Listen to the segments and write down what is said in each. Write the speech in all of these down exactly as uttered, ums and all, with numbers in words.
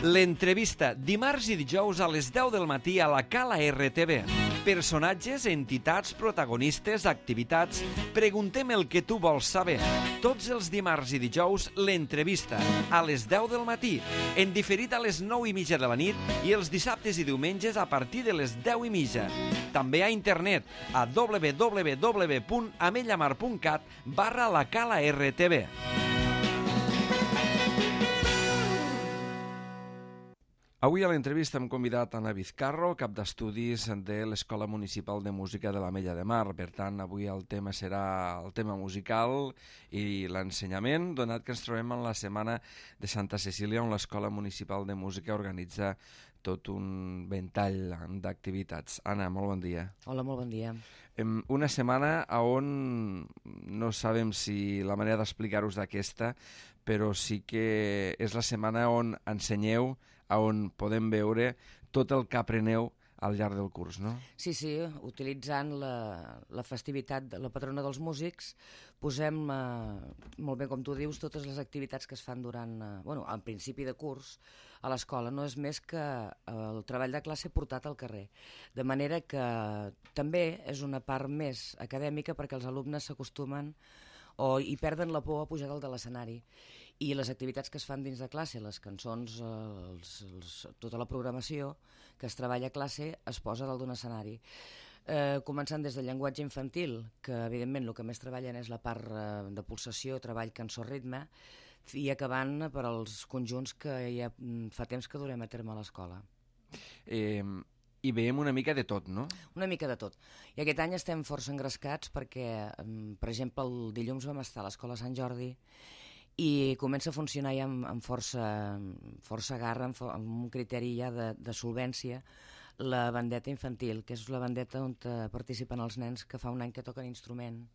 L'entrevista, dimarts i dijous a les deu del matí a la Cala R T V. Personatges, entitats, protagonistes, activitats... Preguntem el que tu vols saber. Tots els dimarts i dijous, l'entrevista, a les deu del matí, en diferit a les nou i mitja de la nit i els dissabtes i diumenges a partir de les deu i mitja. També a internet, a w w w punt amellamar punt cat barra la Cala R T V. Avui a l'entrevista hem convidat Anna Vizcarro, cap d'estudis de l'Escola Municipal de Música de l'Ametlla de Mar. Per tant, avui el tema serà el tema musical i l'ensenyament, donat que ens trobem en la Setmana de Santa Cecília, on l'Escola Municipal de Música organitza tot un ventall d'activitats. Anna, molt bon dia. Hola, molt bon dia. Una setmana on no sabem si la manera d'explicar-vos d'aquesta, però sí que és la setmana on ensenyeu, on podem veure tot el que apreneu al llarg del curs, no? Sí, sí, utilitzant la, la festivitat de la patrona dels músics, posem, eh, molt bé com tu dius, totes les activitats que es fan durant, eh, bueno, al principi de curs a l'escola. No és més que el treball de classe portat al carrer. De manera que també és una part més acadèmica perquè els alumnes s'acostumen o hi perden la por a pujar dalt de l'escenari. I les activitats que es fan dins de classe, les cançons, els, els, tota la programació que es treballa a classe es posa dalt d'un escenari. Eh, començant des del llenguatge infantil, que evidentment el que més treballen és la part eh, de pulsació, treball, cançó, ritme, i acabant per als conjunts que ja fa temps que durem a terme a l'escola. Eh... I veiem una mica de tot, no? Una mica de tot. I aquest any estem força engrescats perquè, per exemple, el dilluns vam estar a l'Escola Sant Jordi i comença a funcionar ja amb, amb força, força garra, amb, amb un criteri ja de, de solvència, la bandeta infantil, que és la bandeta on participen els nens que fa un any que toquen instrument.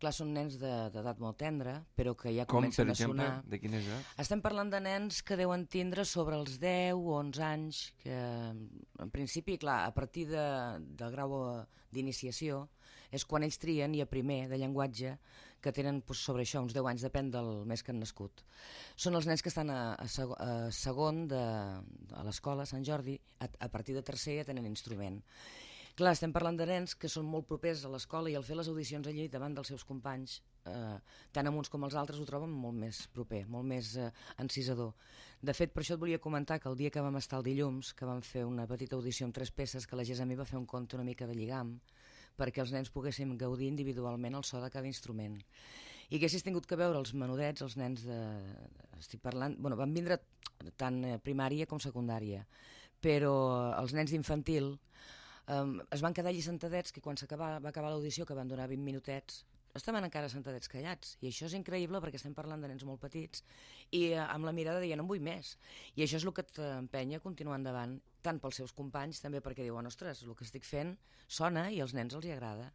Clar, són nens d'edat molt tendra, però que ja Com, comencen per exemple, a sonar... de quina edat? Estem parlant de nens que deuen tindre sobre els deu o onze anys, que en principi, clar, a partir de, del grau d'iniciació és quan ells trien, i a primer de llenguatge, que tenen doncs, sobre això uns deu anys, depèn del mes que han nascut. Són els nens que estan a, a, seg a segon de, a l'escola Sant Jordi, a, a partir de tercer ja tenen instrument. Clar, estem parlant de nens que són molt propers a l'escola i al fer les audicions allí davant dels seus companys, eh, tant amb uns com els altres ho troben molt més proper, molt més eh, encisador. De fet, per això et volia comentar que el dia que vam estar el dilluns, que vam fer una petita audició amb tres peces, que la Gesami va fer un conte una mica de lligam, perquè els nens poguéssim gaudir individualment el so de cada instrument. I haguessis tingut que veure els menudets, els nens de... Estic parlant... Bueno, van vindre tant primària com secundària, però els nens d'infantil Um, es van quedar allí sentadets, que quan va acabar l'audició, que van donar vint minutets, estaven encara sentadets callats, i això és increïble perquè estem parlant de nens molt petits i uh, amb la mirada de ja no en vull més, i això és el que t'empenya a continuar endavant, tant pels seus companys, també perquè diuen, ostres, el que estic fent sona i als nens els hi agrada.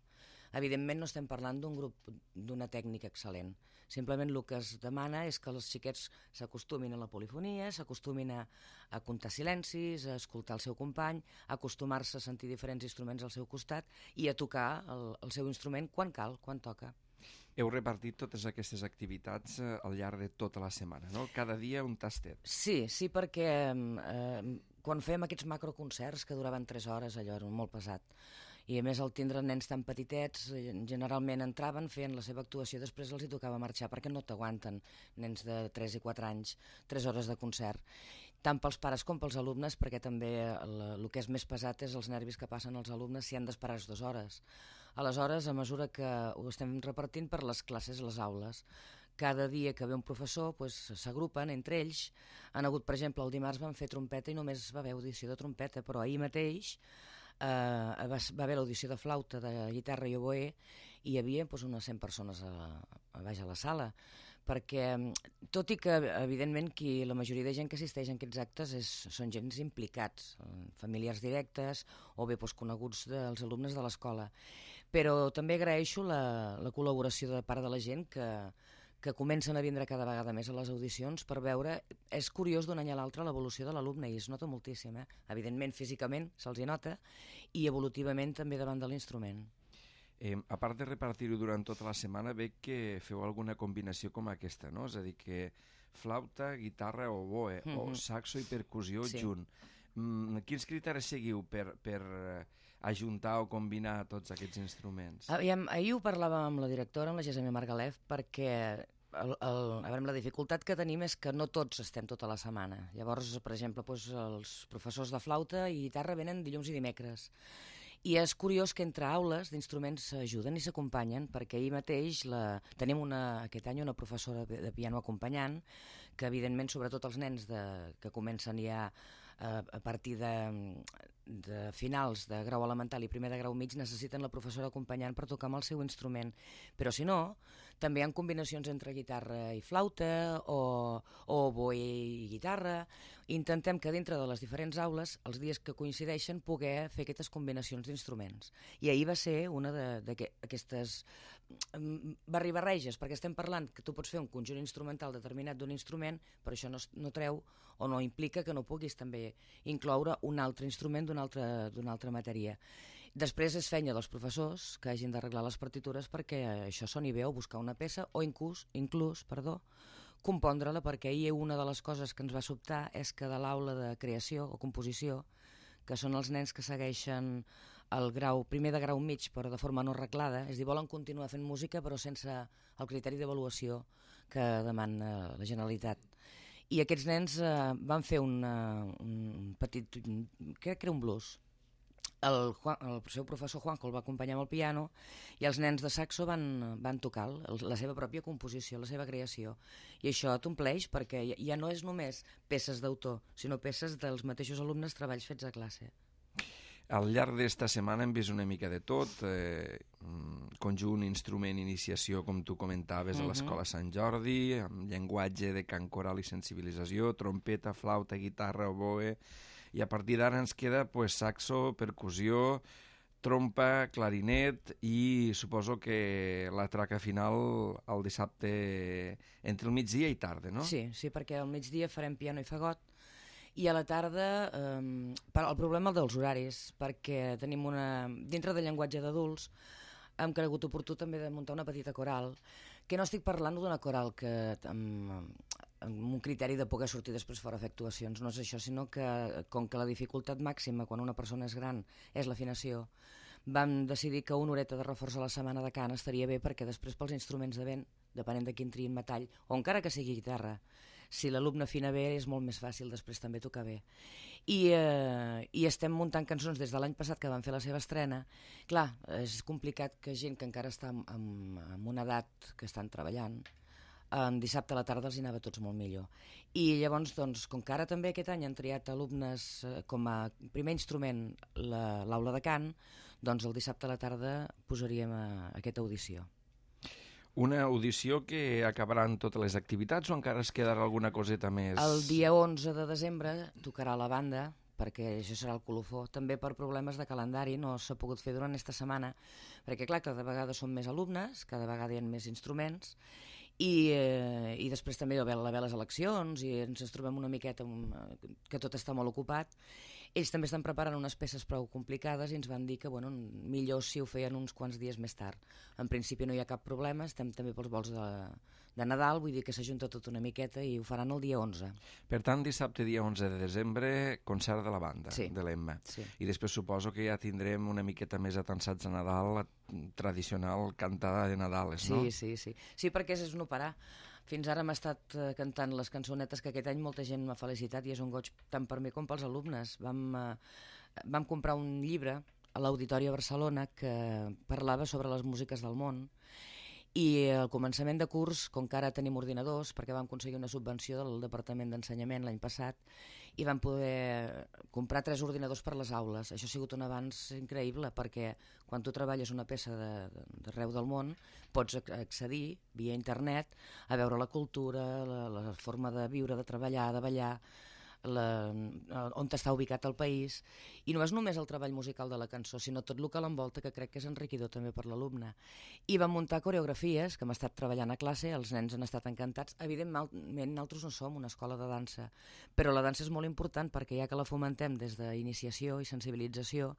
Evidentment no estem parlant d'un grup, d'una tècnica excel·lent. Simplement el que es demana és que els xiquets s'acostumin a la polifonia, s'acostumin a, a comptar silencis, a escoltar el seu company, a acostumar-se a sentir diferents instruments al seu costat i a tocar el, el seu instrument quan cal, quan toca. Heu repartit totes aquestes activitats eh, al llarg de tota la setmana, no? Cada dia un tastet. Sí, sí, perquè eh, quan fèiem aquests macroconcerts que duraven tres hores, allò era molt pesat, i a més al tindre nens tan petitets generalment entraven, feien la seva actuació, després els hi tocava marxar perquè no t'aguanten nens de tres i quatre anys tres hores de concert, tant pels pares com pels alumnes, perquè també el, el que és més pesat és els nervis que passen els alumnes si han d'esperar dues hores. Aleshores, a mesura que ho estem repartint per les classes, les aules, cada dia que ve un professor s'agrupen entre ells. Han hagut, per exemple, el dimarts van fer trompeta i només va haver audició de trompeta, però ahir mateix eh, va, va haver l'audició de flauta, de guitarra i oboè, i hi havia doncs, unes cent persones a, a baix a la sala, perquè tot i que evidentment qui, la majoria de gent que assisteix a aquests actes és, són gens implicats, familiars directes o bé doncs, coneguts dels alumnes de l'escola, però també agraeixo la, la col·laboració de part de la gent que que comencen a vindre cada vegada més a les audicions per veure, és curiós d'un any a l'altre l'evolució de l'alumne i es nota moltíssim, eh? Evidentment físicament se'ls hi nota i evolutivament també davant de l'instrument. Eh, a part de repartir-ho durant tota la setmana, veig que feu alguna combinació com aquesta, no? És a dir, que flauta, guitarra, oboe, mm -hmm. o saxo i percussió sí. junt. Mm, quins criteris seguiu per, per ajuntar o combinar tots aquests instruments? Aviam, ahir ho parlàvem amb la directora, amb la Gessamia Margalef, perquè el, el, a veure, la dificultat que tenim és que no tots estem tota la setmana. Llavors, per exemple, doncs, els professors de flauta i guitarra venen dilluns i dimecres. I és curiós que entre aules d'instruments s'ajuden i s'acompanyen, perquè ahir mateix la, tenim una, aquest any una professora de, de piano acompanyant, que evidentment, sobretot els nens de, que comencen ja a, a partir de, de finals de grau elemental i primer de grau mig, necessiten la professora acompanyant per tocar amb el seu instrument. Però si no, també hi ha combinacions entre guitarra i flauta o, o oboe i guitarra. Intentem que dintre de les diferents aules, els dies que coincideixen, poder fer aquestes combinacions d'instruments. I ahir va ser una d'aquestes barri-barreges, perquè estem parlant que tu pots fer un conjunt instrumental determinat d'un instrument, però això no, no treu o no implica que no puguis també incloure un altre instrument d'una altra, d'una altra matèria. Després és feina dels professors que hagin d'arreglar les partitures perquè això soni bé, o buscar una peça o inclús, inclús perdó, compondre-la, perquè ahir una de les coses que ens va sobtar és que de l'aula de creació o composició, que són els nens que segueixen el grau, primer de grau mig però de forma no reglada, és a dir, volen continuar fent música però sense el criteri d'avaluació que demana la Generalitat. I aquests nens eh, van fer una, un petit, crec que era un blues. El, Juan, el seu professor Juanjo el va acompanyar amb el piano i els nens de saxo van, van tocar el, la seva pròpia composició, la seva creació. I això t'ompleix perquè ja no és només peces d'autor, sinó peces dels mateixos alumnes, treballs fets a classe. Al llarg d'esta setmana hem vist una mica de tot, eh, conjunt, instrument, iniciació, com tu comentaves, uh-huh. a l'Escola Sant Jordi, amb llenguatge de cant coral i sensibilització, trompeta, flauta, guitarra, oboe, i a partir d'ara ens queda pues, saxo, percussió, trompa, clarinet i suposo que la traca final el dissabte entre el migdia i tarda, no? Sí, sí, perquè al migdia farem piano i fagot, i a la tarda eh, el problema dels horaris, perquè tenim una... dintre del llenguatge d'adults hem cregut oportú també de muntar una petita coral, que no estic parlant d'una coral que amb, amb un criteri de poder sortir després fora a fer actuacions, no és això, sinó que com que la dificultat màxima quan una persona és gran és l'afinació, vam decidir que una horeta de reforç a la setmana de cant estaria bé, perquè després pels instruments de vent, depenent de quin triïn metall, o encara que sigui guitarra, si l'alumne afina bé és molt més fàcil després també tocar bé. I, eh, i estem muntant cançons des de l'any passat que van fer la seva estrena. Clar, és complicat que gent que encara està en, en, en una edat que estan treballant, en dissabte a la tarda els hi anava tots molt millor. I llavors, doncs, com que ara també aquest any han triat alumnes eh, com a primer instrument l'aula de cant, doncs el dissabte a la tarda posaríem a, a aquesta audició. Una audició que acabarà en totes les activitats o encara es quedarà alguna coseta més? El dia onze de desembre tocarà la banda, perquè això serà el colofó. També per problemes de calendari no s'ha pogut fer durant aquesta setmana, perquè clar, cada vegada són més alumnes, cada vegada hi ha més instruments, i, eh, i després també hi va haver les eleccions i ens trobem una miqueta que tot està molt ocupat. Ells també estan preparant unes peces prou complicades i ens van dir que bueno, millor si ho feien uns quants dies més tard. En principi no hi ha cap problema, estem també pels vols de, de Nadal, vull dir que s'ajunta tot una miqueta i ho faran el dia onze. Per tant, dissabte dia onze de desembre, concert de la banda, sí. de l'Emma. Sí. I després suposo que ja tindrem una miqueta més atansats a Nadal, la tradicional cantada de Nadales, no? Sí, sí, sí. Sí, perquè és no parar. Fins ara hem estat uh, cantant les cançonetes que aquest any molta gent m'ha felicitat i és un goig tant per mi com pels alumnes. Vam, uh, vam comprar un llibre a l'Auditori a Barcelona que parlava sobre les músiques del món i al començament de curs, com que ara tenim ordinadors, perquè vam aconseguir una subvenció del Departament d'Ensenyament l'any passat i vam poder comprar tres ordinadors per les aules. Això ha sigut un avanç increïble perquè quan tu treballes una peça d'arreu de, del món pots accedir via internet a veure la cultura, la, la forma de viure, de treballar, de ballar, la, on està ubicat el país, i no és només el treball musical de la cançó, sinó tot el que l'envolta, que crec que és enriquidor també per l'alumne. I vam muntar coreografies que hem estat treballant a classe, els nens han estat encantats. Evidentment, nosaltres no som una escola de dansa, però la dansa és molt important perquè ja que la fomentem des d'iniciació i sensibilització,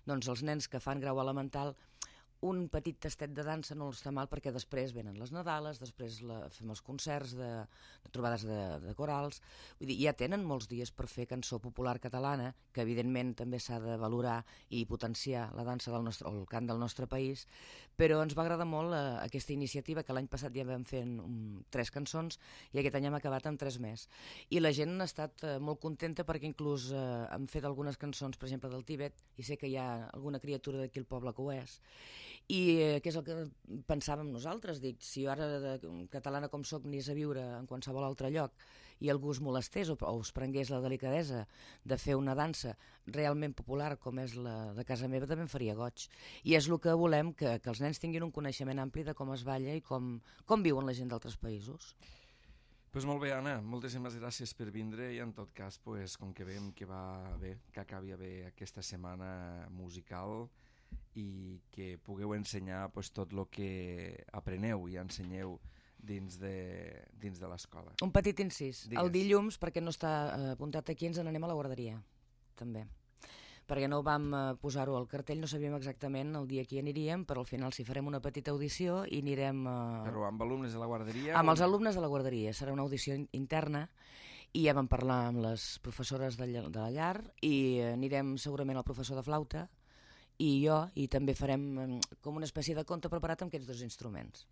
doncs els nens que fan grau elemental un petit tastet de dansa no està mal, perquè després venen les Nadales, després la, fem els concerts de, de trobades de, de corals. Vull dir, ja tenen molts dies per fer cançó popular catalana, que evidentment també s'ha de valorar i potenciar la dansa del nostre, o el cant del nostre país, però ens va agradar molt eh, aquesta iniciativa, que l'any passat ja vam fer um, tres cançons i aquest any hem acabat amb tres més. I la gent ha estat eh, molt contenta, perquè inclús eh, hem fet algunes cançons, per exemple, del Tíbet, i sé que hi ha alguna criatura d'aquí al poble que ho és. I eh, què és el que pensàvem nosaltres? Dic, si jo ara, de, catalana com soc, anés a viure en qualsevol altre lloc i algú es molestés o, o us prengués la delicadesa de fer una dansa realment popular com és la de casa meva, també em faria goig. I és el que volem, que, que els nens tinguin un coneixement ampli de com es balla i com, com viuen la gent d'altres països. Pues molt bé, Anna, moltíssimes gràcies per vindre i en tot cas, pues, com que veiem que va bé, que acabi bé aquesta setmana musical i que pugueu ensenyar pues, tot el que apreneu i ensenyeu dins de, dins de l'escola. Un petit incís. Digues. El dilluns, perquè no està apuntat aquí, ens n'anem a la guarderia, també. Perquè no vam posar-ho al cartell, no sabíem exactament el dia que hi aniríem, però al final si farem una petita audició i anirem... Eh... Però amb alumnes de la guarderia? Amb o... els alumnes de la guarderia. Serà una audició interna i ja vam parlar amb les professores de la llar i anirem segurament al professor de flauta i jo, i també farem com una espècie de conte preparat amb aquests dos instruments.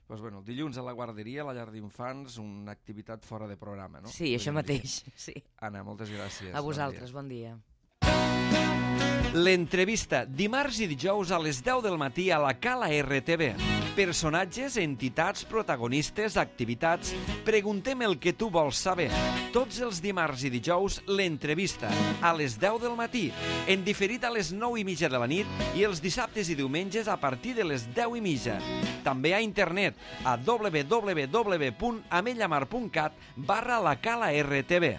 Pues bueno, dilluns a la guarderia, a la llar d'infants, una activitat fora de programa, no? Sí, això mateix, sí. Anna, moltes gràcies. A vosaltres, bon dia. L'entrevista, dimarts i dijous a les deu del matí a la Cala R T V. Personatges, entitats, protagonistes, activitats... Preguntem el que tu vols saber. Tots els dimarts i dijous, l'entrevista, a les deu del matí, en diferit a les nou i mitja de la nit i els dissabtes i diumenges a partir de les deu i mitja. També a internet, a w w w punt ametlla mar punt cat barra la Cala R T V.